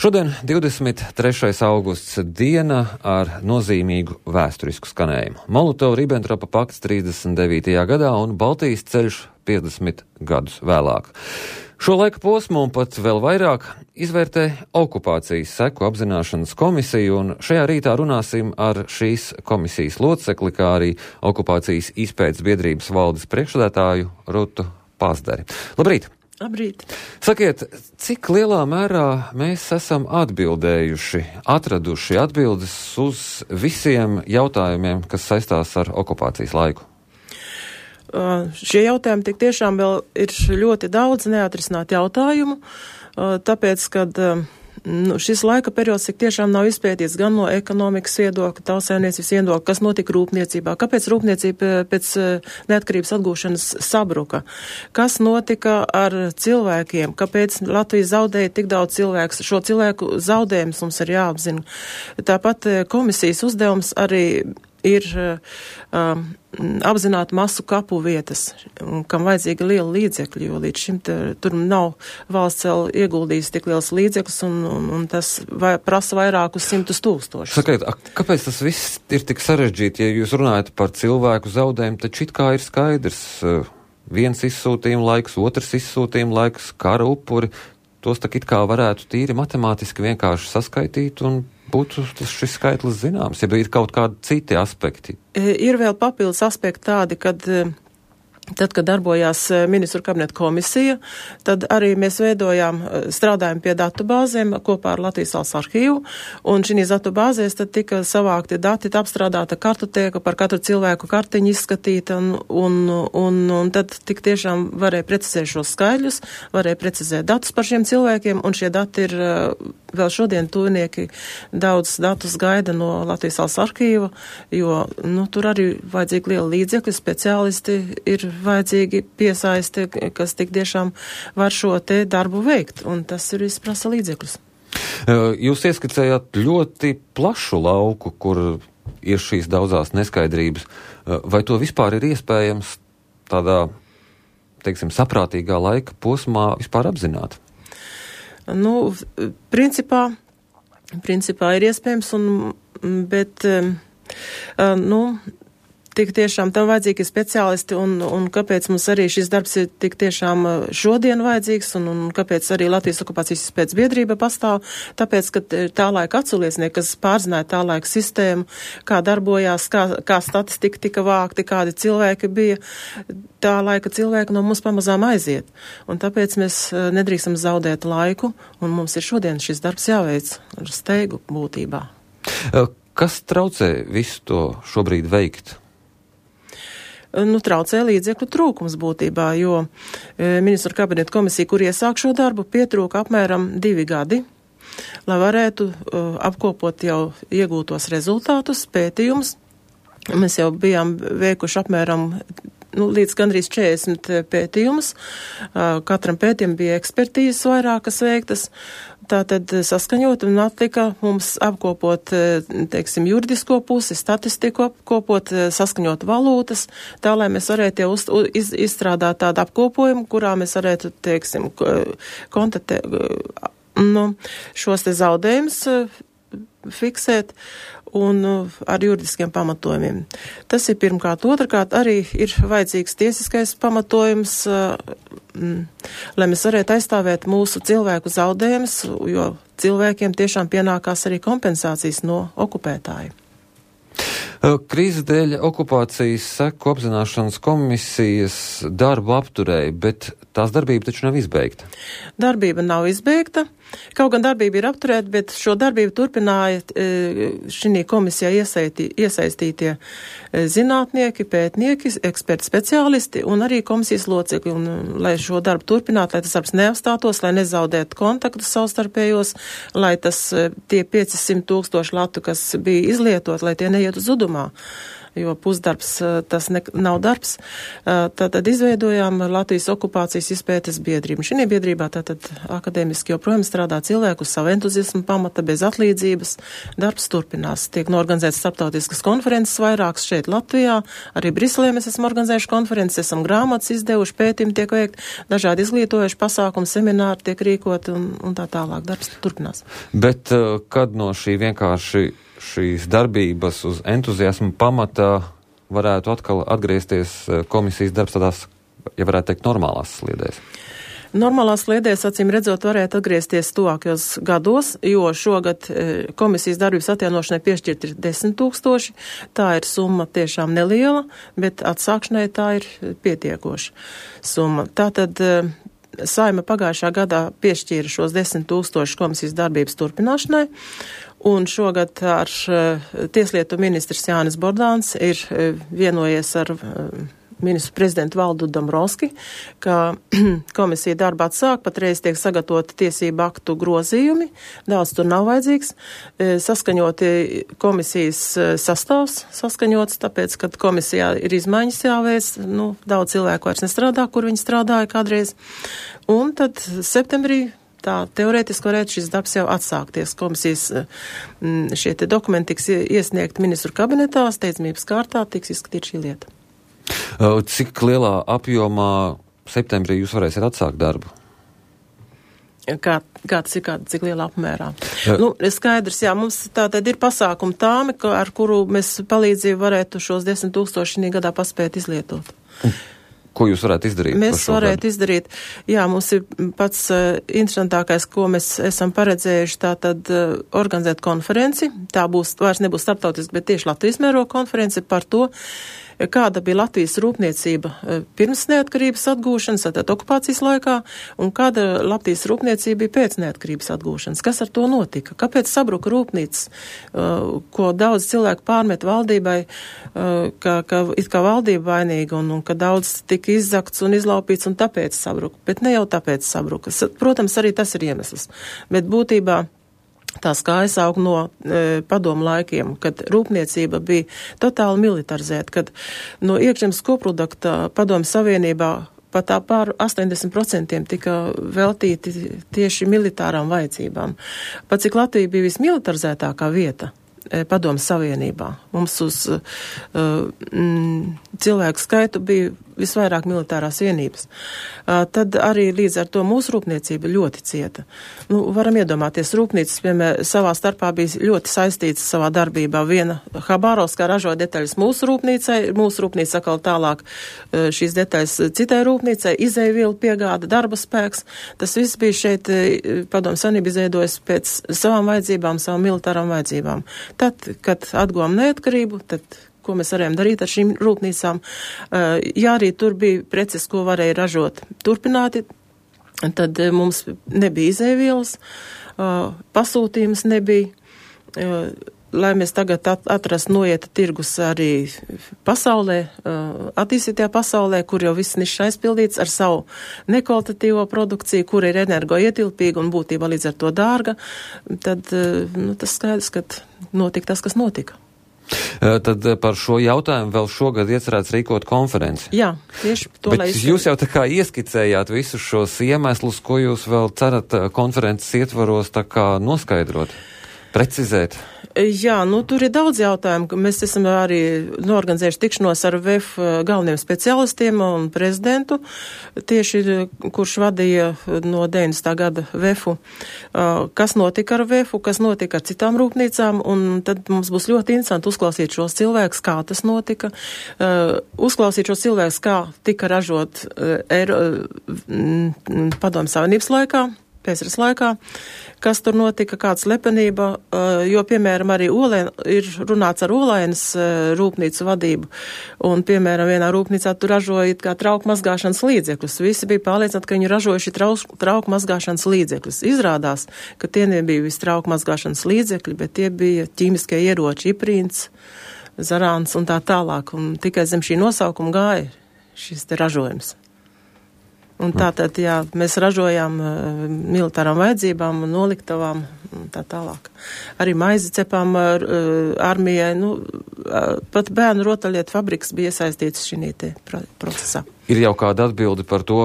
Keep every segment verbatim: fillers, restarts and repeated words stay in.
Šodien divdesmit trešais augusts diena ar nozīmīgu vēsturisku skanējumu. Molotova-Ribentropa pakts trīsdesmit devītajā gadā un Baltijas ceļš piecdesmit gadus vēlāk. Šo laika posmu un pat vēl vairāk izvērtē okupācijas seku apzināšanas komisiju, un šajā rītā runāsim ar šīs komisijas locekli, kā arī okupācijas izpētes biedrības valdes priekšsēdētāju Rutu Pazdari. Labrīt! Labrīt! Sakiet, cik lielā mērā mēs esam atbildējuši, atraduši atbildes uz visiem jautājumiem, kas saistās ar okupācijas laiku? Uh, šie jautājumi tik tiešām vēl ir ļoti daudz neatrisināt jautājumu, uh, tāpēc, kad uh, nu, šis laika periods tik tiešām nav izpētīts gan no ekonomikas viedokļa, tautsēmniecības viedokļa, kas notika rūpniecībā, kāpēc rūpniecība pēc uh, neatkarības atgūšanas sabruka, kas notika ar cilvēkiem, kāpēc Latvija zaudēja tik daudz cilvēku, šo cilvēku zaudējumus mums ir jāapzina. Tāpat uh, komisijas uzdevums arī ir um, apzināt masu kapu vietas, kam vajadzīga liela līdzekļa, jo līdz šim te, tur nav valsts vēl ieguldījis tik liels līdzekļus, un, un, un tas vai, prasa vairākus simtus tūkstošus. Sakiet, a, kāpēc tas viss ir tik sarežģīti, ja jūs runājat par cilvēku zaudējumu, taču it kā ir skaidrs, viens izsūtījuma laiks, otrs izsūtījuma laiks, kara upuri, tos tak it kā varētu tīri matemātiski vienkārši saskaitīt un būtu šis skaitlis zināms, ja ir kaut kādi citi aspekti? Ir vēl papildus aspekti tādi, kad tad, kad darbojās ministru kabineta komisija, tad arī mēs veidojām, strādājam pie datu bāzēm kopā ar Latvijas valsts arhīvu, un šīs datu bāzēs tad tika savākti dati, apstrādāta kartotēka, par katru cilvēku kartiņu izskatīta, un, un, un, un tad tik tiešām varēja precizēt šos skaidļus, varēja precizēt datus par šiem cilvēkiem, un šie dati ir vēl šodien tuvinieki daudz datus gaida no Latvijas valsts arhīva, jo, nu, tur arī vajadzīgi liela līdzekļi, speciālisti ir vajadzīgi piesaisti, kas tik tiešām var šo te darbu veikt, un tas ir izprasa līdzekļus. Jūs ieskicējāt ļoti plašu lauku, kur ir šīs daudzās neskaidrības. Vai to vispār ir iespējams tādā, teiksim, saprātīgā laika posmā vispār apzināt? Nu, principā, principā ir iespējams, un, bet, nu, tik tiešām tam vajadzīgi speciālisti, un, un kāpēc mums arī šis darbs ir tik tiešām šodien vajadzīgs, un, un kāpēc arī Latvijas okupācijas izpētes biedrība pastāv, tāpēc, ka tā laika atsauliecinieki, kas pārzināja tā laika sistēmu, kā darbojās, kā, kā statistika tika vākti, kādi cilvēki bija, tā laika cilvēki no mums pamazām aiziet. Un tāpēc mēs nedrīkstam zaudēt laiku, un mums ir šodien šis darbs jāveic ar steigu būtībā. Kas traucē visu to šobrīd veikt? Nu, traucē līdzekļu trūkums būtībā, jo e, ministru kabineta komisija, kur iesāk šo darbu, pietrūka apmēram divi gadi, lai varētu e, apkopot jau iegūtos rezultātus, pētījumus. Mēs jau bijām veikuši apmēram nu, līdz gandrīz četrdesmit pētījumus. Katram pētījumam bija ekspertīzes vairākas veiktas. Tātad saskaņot un atlika mums apkopot, teiksim, juridisko pusi, statistiku apkopot, saskaņot valūtas, tā, lai mēs varētu jau uz, iz, izstrādāt tādu apkopojumu, kurā mēs varētu, teiksim, kontatē, nu, šos te zaudējumus fiksēt un ar juridiskiem pamatojumiem. Tas ir pirmkārt. Otrkārt, arī ir vajadzīgs tiesiskais pamatojums, lai mēs varētu aizstāvēt mūsu cilvēku zaudējumus, jo cilvēkiem tiešām pienākās arī kompensācijas no okupētāju. Krīzes dēļ okupācijas seku apzināšanas komisijas darbu apturēja, bet tās darbība taču nav izbeigta. Darbība nav izbeigta. Kaut gan darbība ir apturēta, bet šo darbību turpināja šī komisijā iesaistī, iesaistītie zinātnieki, pētnieki, eksperti, speciālisti un arī komisijas locekļi. Un, lai šo darbu turpinātu, lai tas darbs neapstātos, lai nezaudētu kontaktus savstarpējos, lai tas tie piecsimt tūkstoši latu, kas bija izlietot, lai tie neiet uz zudumā. jo pusdarbs tas ne, nav darbs. Tātad izveidojām Latvijas okupācijas izpētes biedrību. Šī biedrībā tātad akadēmiski joprojām strādā cilvēku uz savu entuziasmu pamata, bez atlīdzības. Darbs turpinās. Tiek norganizētas starptautiskas konferences vairākas šeit Latvijā. Arī Briselē mēs esam organizējuši konferences, esam grāmatas izdevuši, pētījumi tiek veikt, dažādi izglītojuši pasākumi, semināri tiek rīkot un, un tā tālāk. Darbs turpinās. Bet kad no šī vienkārši šīs darbības uz entuziasmu pamata varētu atkal atgriezties komisijas darbs tādās, ja varētu teikt, normālās sliedēs? Normālās sliedēs, acīm redzot, varētu atgriezties tuvākajos gados, jo šogad komisijas darbības atjaunošanai piešķirt ir desmit tūkstoši. Tā ir summa tiešām neliela, bet atsākšanai tā ir pietiekoša summa. Tātad Saima pagājušā gadā piešķīra šos desmit tūkstošus komisijas darbības turpināšanai, un šogad ar tieslietu ministrs Jānis Bordāns ir vienojies ar ministru prezidentu Valdu Dombrovski, ka komisija darba atsāk, patreiz tiek sagatavoti tiesību aktu grozījumi, daudz tur nav vajadzīgs, saskaņoti komisijas sastāvs saskaņots, tāpēc, kad komisijā ir izmaiņas jāveic, nu, daudz cilvēku vairs nestrādā, kur viņi strādāja kādreiz, un tad septembrī tā teorētiski varētu šis darbs jau atsākties. Komisijas šie te dokumenti tiks iesniegt ministru kabinetā, steidzamības kārtā tiks izskatīt šī lieta. Cik lielā apjomā septembrī jūs varēsiet atsākt darbu? Kā, kā tas ir, kā, cik lielā apmērā? Jā. Nu, skaidrs, jā, mums tā tad ir pasākuma tāme, ar kuru mēs palīdzību varētu šos desmit tūkstoši šī gadā paspēt izlietot. Ko jūs varētu izdarīt? Mēs varētu izdarīt, jā, mums ir pats uh, interesantākais, ko mēs esam paredzējuši, tā tad uh, organizēt konferenci, tā būs, vairs nebūs starptautiski, bet tieši Latvijas mēroga konference par to, kāda bija Latvijas rūpniecība pirms neatkarības atgūšanas, tātad okupācijas laikā, un kāda Latvijas rūpniecība bija pēc neatkarības atgūšanas. Kas ar to notika? Kāpēc sabruka rūpnīcas, ko daudz cilvēku pārmet valdībai, ka, ka it kā valdība vainīga, un, un ka daudz tika izzakts un izlaupīts, un tāpēc sabruka. Bet ne jau tāpēc sabruka. Protams, arī tas ir iemesls. Bet būtībā tās kājas aug no e, padomu laikiem, kad rūpniecība bija totāli militarizēta, kad no iekšzemes koprodukta padomu savienībā pat tā pār astoņdesmit procenti tika veltīti tieši militārām vajadzībām. Pat cik Latvija bija vismilitarizētākā vieta e, padomu savienībā. Mums uz e, m, cilvēku skaitu bija visvairāk militārās vienības. Uh, tad arī līdz ar to mūsu rūpniecība ļoti cieta. Nu, varam iedomāties, rūpnīcas, piemēram, savā starpā bija ļoti saistītas savā darbībā. Viena Habārovskā ražoja detaļas mūsu rūpnīcai, mūsu rūpnīca atkal tālāk uh, šīs detaļas citai rūpnīcai, izēvielu piegāda, darba spēks. Tas viss bija šeit, uh, padomu savienība izveidojas pēc savām vajadzībām, savām militārām vajadzībām. Tad, kad atguvām neatkarību, tad ko mēs varējām darīt ar šīm rūpnīcām. Ja arī tur bija preces, ko varēja ražot turpināti, tad mums nebija izēvielas, pasūtījums nebija. Lai mēs tagad atrastu noieta tirgus arī pasaulē, attīstītajā pasaulē, kur jau viss nišs aizpildīts ar savu nekvalitatīvo produkciju, kur ir energoietilpīga un būtībā līdz ar to dārga, tad nu, tas skaidrs, ka notika tas, kas notika. Tad par šo jautājumu vēl šogad iecerēts rīkot konferenci. Jā, tieši to, Bet lai es... jūs jau tā kā ieskicējāt visus šos iemeslus, ko jūs vēl cerat konferences ietvaros tā kā noskaidrot, precizēt. Jā, nu tur ir daudz jautājumu. Mēs esam arī norganizējuši tikšanos ar V E F galveniem speciālistiem un prezidentu, tieši kurš vadīja no deviņdesmitā gada V E F-u. Kas notika ar V E F-u, kas notika ar citām rūpnīcām, un tad mums būs ļoti interesanti uzklausīt šos cilvēkus, kā tas notika, uzklausīt šos cilvēkus, kā tika ražot Eiro, padomu savienības laikā, pēcras laikā, kas tur notika, kāda slepenība, jo, piemēram, arī Olēn, ir runāts ar Olainas rūpnīcu vadību, un, piemēram, vienā rūpnīcā tur ražoja kā trauku mazgāšanas līdzekļus. Visi bija pārliecināti, ka viņi ražojuši trauku, trauku mazgāšanas līdzekļus. Izrādās, ka tie nebija visi trauku mazgāšanas līdzekļi, bet tie bija ķīmiskie ieroči, iprīns, zarāns un tā tālāk, un tikai zem šī nosaukuma gāja šis te ražojums. Un tātad, jā, mēs ražojām uh, militārām vajadzībām, noliktavām un tā tālāk. Arī maizi cepām ar, armijai, nu, pat bērnu rotaļlietu fabriks bija iesaistīts šī te procesā. Ir jau kāda atbilde par to,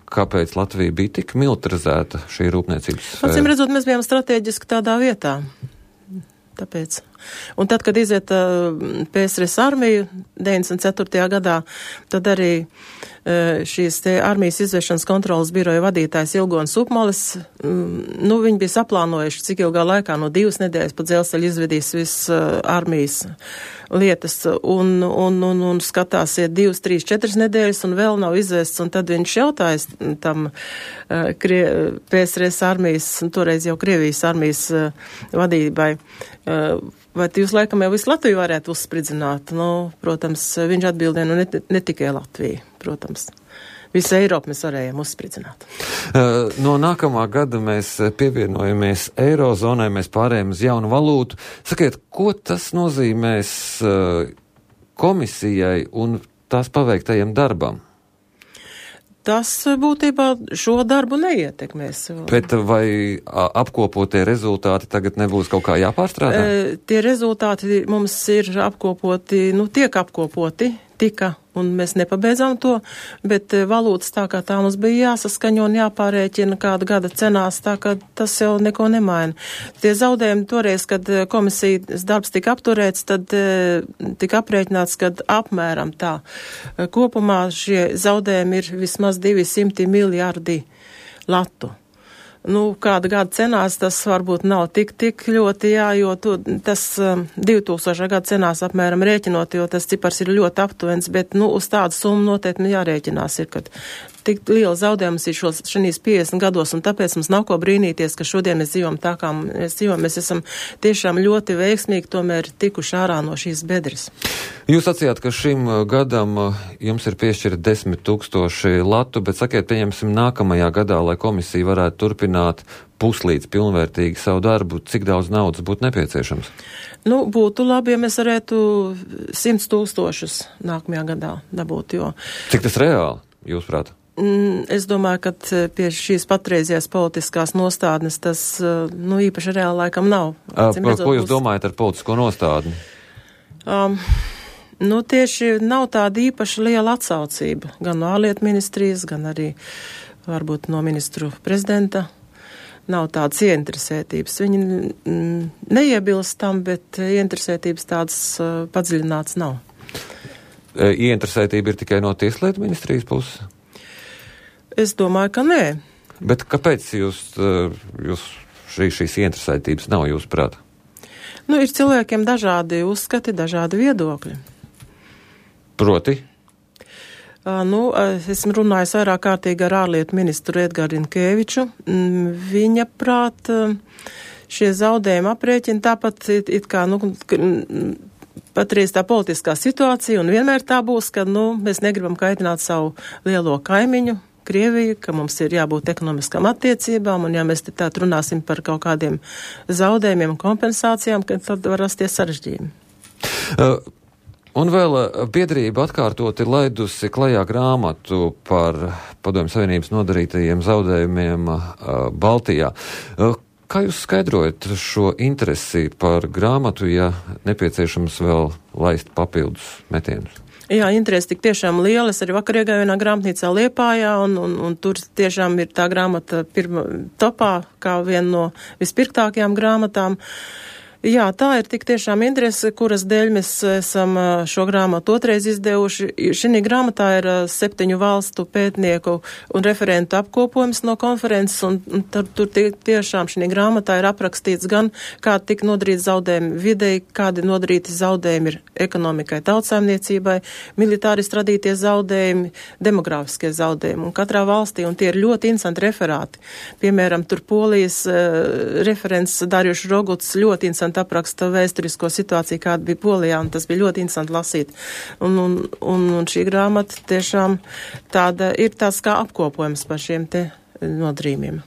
kāpēc Latvija bija tik militarizēta šī rūpniecības sfēra? Acīm redzot, mēs bijām strateģiski tādā vietā. Tāpēc. Un tad, kad iziet uh, P S R S armiju deviņdesmit ceturtajā gadā, tad arī uh, šīs te armijas izvešanas kontrolas biroja vadītājs Ilgons Upmalis, um, nu, viņi bija saplānojuši, cik ilgā laikā, no divas nedēļas pa dzelzceļu izvedīs viss uh, armijas lietas, un, un, un, un skatās iet divas, trīs, četras nedēļas, un vēl nav izvests, un tad viņš jautājas tam uh, Krie, P S R S armijas, toreiz jau Krievijas armijas uh, vadībai, uh, vai jūs laikam jau visu Latviju varētu uzspridzināt? Nu, protams, viņš atbildēja, nu, ne, ne tikai Latviju, protams. Visu Eiropu mēs varējām uzspridzināt. Uh, no nākamā gada mēs pievienojamies Eirozonai, mēs pārējām uz jaunu valūtu. Sakiet, ko tas nozīmēs uh, komisijai un tās paveiktajam darbam? Tas būtībā šo darbu neietekmēs. Bet vai apkopotie rezultāti tagad nebūs kaut kā jāpārstrādā? E, tie rezultāti mums ir apkopoti, nu tiek apkopoti, tika, un mēs nepabeidzām to, bet valūtas tā kā tā mums bija jāsaskaņo un jāpārēķina kāda gada cenās, tā ka tas jau neko nemaina. Tie zaudējumi toreiz, kad komisijas darbs tika apturēts, tad tika aprēķināts, kad apmēram tā. Kopumā šie zaudējumi ir vismaz divsimt miljardi latu. Nu, kāda gada cenās tas varbūt nav tik, tik ļoti, jā, jo to, tas um, divtūkstošā gada cenās apmēram rēķinot, jo tas cipars ir ļoti aptuvens, bet, nu, uz tādu summu noteikti jārēķinās ir, kad tik liela zaudējums ir šos šīs piecdesmit gados, un tāpēc mums nav ko brīnīties, ka šodien mēs dzīvojam tā, kā mēs dzīvojam. Mēs esam tiešām ļoti veiksmīgi tomēr tikuši ārā no šīs bedres. Jūs sacījāt, ka šim gadam jums ir piešķirti desmit tūkstoši latu, bet sakiet, pieņemsim nākamajā gadā, lai komisija varētu turpināt puslīdz pilnvērtīgi savu darbu, cik daudz naudas būtu nepieciešams? Nu, būtu labi, ja mēs varētu simts tūkstošus nākamajā gadā dabūt, jo... Cik tas reāli, jūsuprāt? Es domāju, ka pie šīs patreizējās politiskās nostādnes tas, nu, īpaši reāli laikam nav. Par ko jūs domājat ar politisko nostādni? Um, nu, tieši nav tāda īpaši liela atsaucība, gan no ārlietu ministrijas, gan arī varbūt no ministru prezidenta. Nav tādas ieinteresētības. Viņi mm, neiebilst tam, bet ieinteresētības tādas uh, padziļināts nav. Ieinteresētība ir tikai no tieslietu ministrijas puses? Es domāju, ka nē. Bet kāpēc jūs, jūs šī, šīs ieinteresētības nav jūsu prāt? Nu, ir cilvēkiem dažādi uzskati, dažādi viedokļi. Proti? Uh, nu, esmu runājis vairāk kārtīgi ar ārlietu ministru Edgāru Rinkēviču. Viņa prāt šie zaudējumi aprēķina tāpat it, it kā, nu, patreiz tā politiskā situācija, un vienmēr tā būs, ka, nu, mēs negribam kaitināt savu lielo kaimiņu, Krieviju, ka mums ir jābūt ekonomiskām attiecībām, un ja mēs te tā runāsim par kaut kādiem zaudējumiem un kompensācijām, tad var rasties sarežģījumi. Uh, un vēl biedrība atkārtoti laidusi klajā grāmatu par Padomju Savienības nodarītajiem zaudējumiem uh, Baltijā. Uh, kā jūs skaidrojat šo interesi par grāmatu, ja nepieciešams vēl laist papildus metienus? Jā, interesi tik tiešām liela. Es arī vakar iegāju vienā grāmatnīcā Liepājā, un, un, un tur tiešām ir tā grāmata pirma topā, kā viena no vispirktākajām grāmatām. Jā, tā ir tik tiešām interese, kuras dēļ mēs esam šo grāmatu otrais izdevuši. Šī grāmatā ir septiņu valstu pētnieku un referentu apkopojums no konferences, un, un tur, tur tiešām šī grāmatā ir aprakstīts gan, kā tika nodarīti zaudējumi videi, kādi nodarīti zaudējumi ir ekonomikai, tautsājumniecībai, militāristi radītie zaudējumi, demogrāfiskie zaudējumi. Un katrā valstī, un tie ir ļoti interesanti referāti. Piemēram, tur Polijas uh, referents Darjušs Roguts ļoti interesanti apraksta vēsturisko situāciju, kāda bija Polijā, un tas bija ļoti interesanti lasīt. Un, un, un, un šī grāmata tiešām tāda ir tās kā apkopojums par šiem te nodarījumiem.